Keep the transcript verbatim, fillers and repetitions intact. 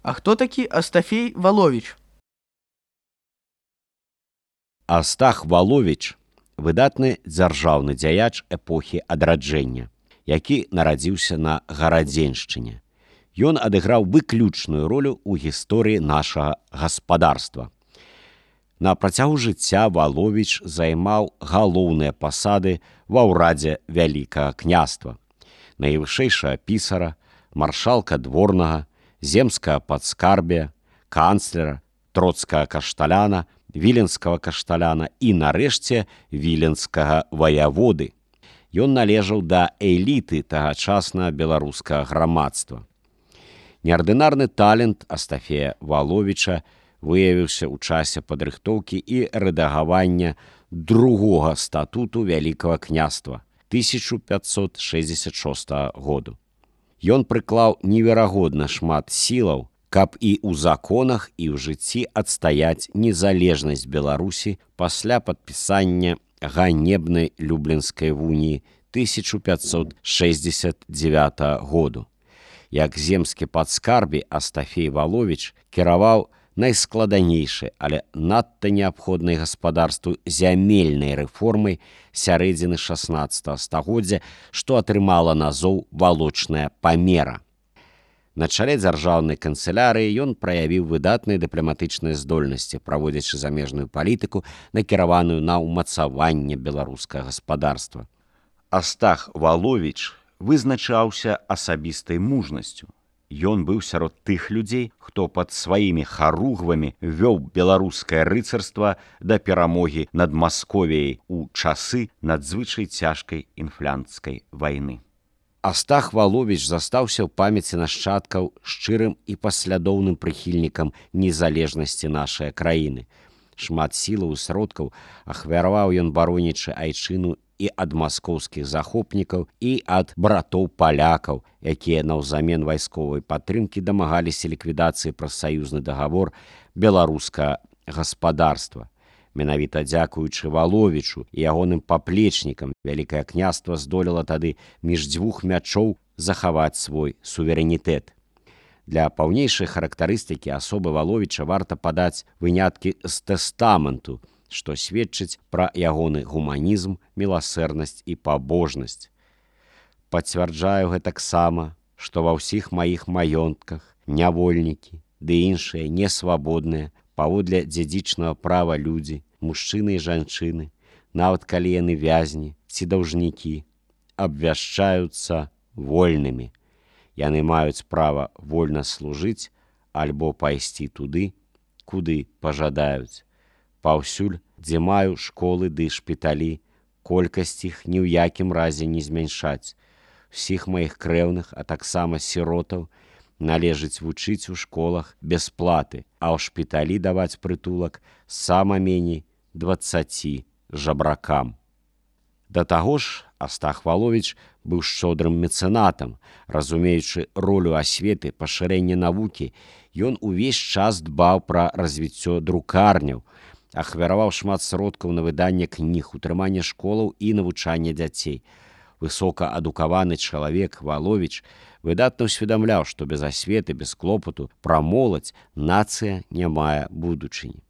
А хто такі Астафей Валовіч? Астах Валовіч – выдатны дзяржаўны дзяяч эпохі адраджэння, які нарадзіўся на Гарадзеншчыне. Ён адыграў выключную ролю ў гісторыі нашага гаспадарства. На працягу жыцця Валовіч займаў галоўныя пасады ва ўрадзе Вялікага княства, найвышэйшага пісара, маршалка дворнага, земскага падскарбія, канцлера, троцкага кашталяна, віленскага кашталяна і, нарэшце, віленскага ваяводы. Ён належаў да эліты тагачаснага беларускага грамадства. Неардынарны талент Астафея Валовіча выявіўся ў часе падрыхтоўкі і рэдагавання другога статуту Вялікага княства тысяча пятьсот шэсцьдзесят шостага году. Ён прыклаў неверагодна шмат сілаў, каб і ў законах, і ў жыцці адстаяць незалежнасць Беларусі пасля падпісання ганебнай Люблінскай уніі тысяча пятьсот шэсцьдзесят дзевятага году. Як земскі падскарбі Астафей Валовіч кіраваў найскладанейшай, але надта неабходнай гаспадарству зямельнай рэформай сярэдзіны шаснаццатага стагоддзя, што атрымала назоў валочная памера. На чале дзяржаўнай канцылярыі ён праявіў выдатныя дыпламатычныя здольнасці, праводзячы замежную палітыку, накіраваную на ўмацаванне беларускага гаспадарства. Астах Валовіч вызначаўся асабістай мужнасцю. Ён быў сярод тых людзей, хто пад сваімі харугвамі вёў беларускае рыцарства да перамогі над Масковіяй у часы надзвычай цяжкай інфлянцкай вайны. Астах Валовіч застаўся ў памяці нашчадкаў шчырым і паслядоўным прыхільнікам незалежнасці нашай краіны. Шмат сілаў і сродкаў ахвяраваў ён баронячы айчыну і ад маскоўскіх захопнікаў, і ад братоў-палякаў, якія наўзамен вайсковай падтрымкі дамагаліся ліквідацыі праз саюзны дагавор беларускага гаспадарства. Менавіта дзякуючы Валовічу і ягоным паплечнікам Вялікае княства здолела тады між дзвюх мячоў захаваць свой суверэнітэт. Для паўнейшай характарыстыкі асобы Валовіча варта падаць выняткі з тэстаменту, што сведчыць пра ягоны гуманізм, міласэрнасць і пабожнасць. Пацвярджаю гэтаксама, што ва ўсіх маіх маёнтках нявольнікі ды іншыя несвабодныя, паводле дзядзічнага права людзі, мужчыны і жанчыны, нават калі яны вязні ці даўжнікі, абвяшчаюцца вольнымі. Яны маюць права вольна служыць альбо пайсці туды, куды пажадаюць. Паўсюль, дзе маю школы ды шпіталі, колькасць іх ні ў якім разе не змяншаць. Усіх маіх крэўных, а таксама сіротаў, належыць вучыць у школах без платы, а ў шпіталі даваць прытулак сама меней дваццаці жабракам. Да таго ж, Астах Валовіч быў шчодрым мецэнатам. Разумеючы ролю асветы, пашырэння навукі, ён увесь час дбаў пра развіццё друкарняў, ахвяраваў шмат сродкаў на выданне кніг, утрыманне школаў і навучанне дзяцей. Высокаадукаваны чалавек Валовіч выдатна ўсведамляў, што без асветы, без клопату пра моладзь нацыя не мае будучыні.